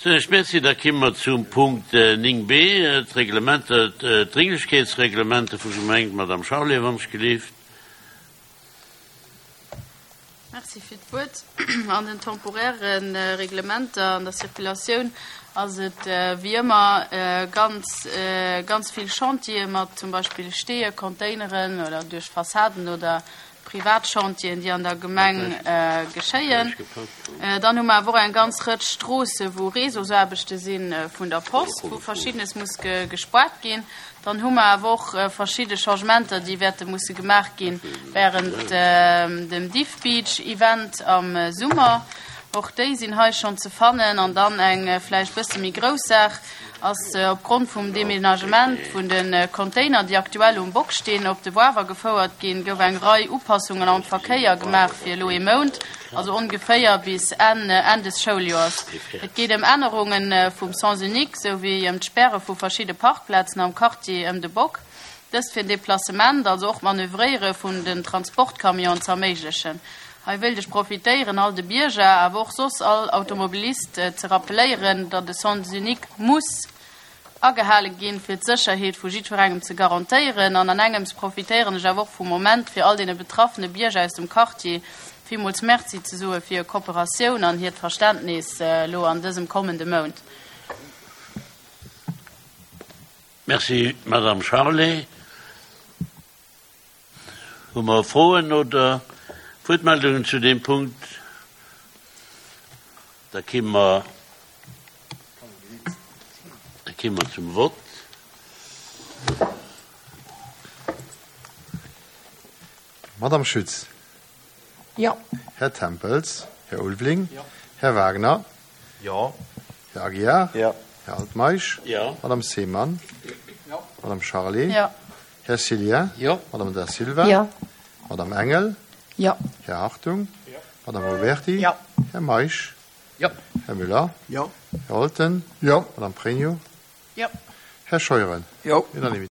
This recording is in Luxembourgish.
Soen ech Merci. Da kimme mer zum Punkt 9b, d'Reglementer, d'Dringlechkeetsreglementer vu Gemeng. D'Madame Charlé, wann ech gelift. Merci fir d'Wuert. An den temporäre Reglementer an der Circulatioun ass et wéi ëmmer ganz, ganz vill Chantiere mat zum Beispill Steeë, Containeren oder duerch Fassaden oder privat Chantieren, déi an der Gemeng geschéien. Dann hu mer awer och eng ganz Rëtsch Stroosse wou Réseausaarbechte si vun der Post, wou Verschiddenes muss gespuart ginn. Dann hu mer awer och verschidde Changementer, déi wäerte musse gemaach gi während dem Diff Beach Event am Summer. Och déi sinn hei schonn ze fannen. An dann eng vläicht bësse méi grouss Saach ass opgrond vum Deménagement vun de Container, déi aktuell um Bock stinn, op de Wawer gefouert ginn, gouf eng Rei Upassungen am Verkéier gemaach fir elo ee Mount, also ongeféier bis Enn Enn des Schouljoers. Et geet ëm Ännerunge vum Sens unique souwéi ëm d'Sperre vu verschidde Parkplazen am Quartier ëm de Bock. Dëst fir den Deplacement, also och d'Manövréiere vun den Transportcamionen ze erméiglechen. Hei wéilt ech profitéieren, all de Bierger, awer och soss all Automobilist ze rappeléieren, datt e Sens unique muss agehale ginn, fir d'Sécherheet vu jiddwerengem ze garantéieren. An an engems profitéieren ech awer och vum Moment, fir all deene betraffene Bierger aus dem Quartier villmools Merci ze soe fir hir Kooperatioun an hiert Verständnis elo an dësem kommende Mount. Merci, Madame Charlé. Hu mer Froen oder Wuertmeldungen zu deem Punkt? Da ki mer, da ki mer zum Vott. Madame Schütz. Jo. Här Tempels. Här Ulveling. Jo. Här Wagner. Jo. Här Aguiar. Jo. Här Altmeisch. Jo. Madame Seemann. Jo. Madame Charlé. Jo. Här Cillien. Jo. Madame Da Silva. Jo. Madame Engel. Jo. Här Hartung. Jo. Madame Ruberti. Jo. Här Meisch. Jo. Här Müller. Jo. Här Holten. Jo. Madame Pregno. Jo. Här Scheuren. Jo. Unanimité.